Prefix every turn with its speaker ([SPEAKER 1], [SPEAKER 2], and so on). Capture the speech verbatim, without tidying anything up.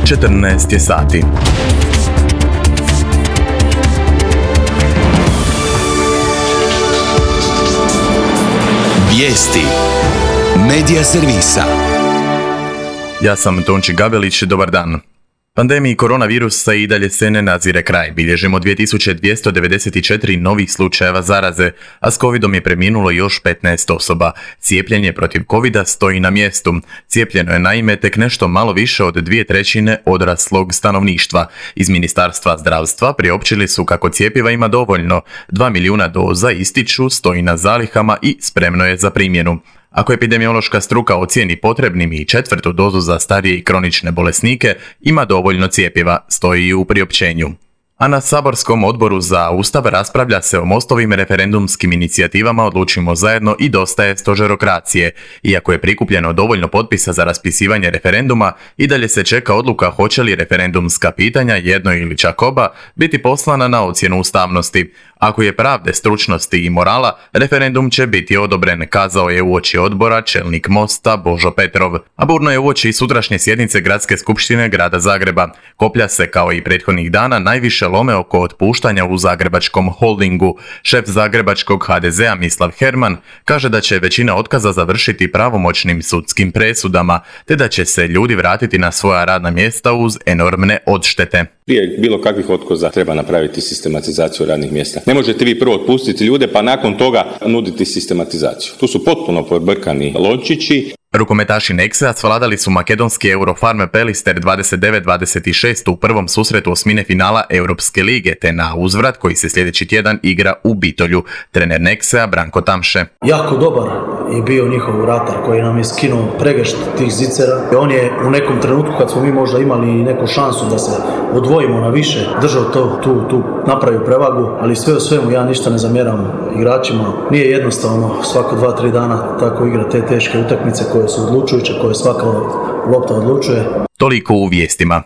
[SPEAKER 1] četrnaest je sati.
[SPEAKER 2] Vijesti Medija servisa.
[SPEAKER 1] Ja sam Tonči Gabelić, dobar dan. Pandemiji koronavirusa i dalje se ne nazire kraj. Bilježimo dvije tisuće dvjesto devedeset četiri novih slučajeva zaraze, a s covidom je preminulo još petnaest osoba. Cijepljenje protiv covida stoji na mjestu. Cijepljeno je naime tek nešto malo više od dvije trećine odraslog stanovništva. Iz Ministarstva zdravstva priopćili su kako cjepiva ima dovoljno. Dva milijuna doza ističu, stoji na zalihama i spremno je za primjenu. Ako epidemiološka struka ocijeni potrebnim i četvrtu dozu za starije i kronične bolesnike, ima dovoljno cjepiva, stoji u priopćenju. A na saborskom odboru za Ustav raspravlja se o MOST-ovim referendumskim inicijativama Odlučimo zajedno i Dosta je stožerokracije. Iako je prikupljeno dovoljno potpisa za raspisivanje referenduma, i dalje se čeka odluka hoće li referendumska pitanja, jedno ili čak oba, biti poslana na ocjenu ustavnosti. Ako je pravde, stručnosti i morala, referendum će biti odobren, kazao je uoči odbora čelnik MOST-a Božo Petrov. A burno je uoči sutrašnje sjednice Gradske skupštine grada Zagreba. Koplja se kao i prethodnih dana najviše lome oko otpuštanja u zagrebačkom holdingu. Šef zagrebačkog ha de zea Mislav Herman kaže da će većina otkaza završiti pravomoćnim sudskim presudama, te da će se ljudi vratiti na svoja radna mjesta uz enormne odštete.
[SPEAKER 3] Prije bilo kakvih otkaza treba napraviti sistematizaciju radnih mjesta. Ne možete vi prvo otpustiti ljude pa nakon toga nuditi sistematizaciju. Tu su potpuno pobrkani lončići.
[SPEAKER 1] Rukometaši Nexe svladali su makedonski Eurofarm Pelister dvadeset devet dvadeset šest u prvom susretu osmine finala Europske lige, te na uzvrat koji se sljedeći tjedan igra u Bitolju. Trener Nexea Branko Tamše.
[SPEAKER 4] Jako dobar je bio njihov vratar koji nam je skinuo pregršt tih zicera. On je u nekom trenutku kad smo mi možda imali neku šansu da se odvojimo na više, držao to, tu, tu napravio prevagu, ali sve u svemu ja ništa ne zamjeram igračima. Nije jednostavno svako dva, tri dana tako igra te teške utakmice koje su odlučujuće, koje svaka lopta odlučuje.
[SPEAKER 1] Toliko u vijestima.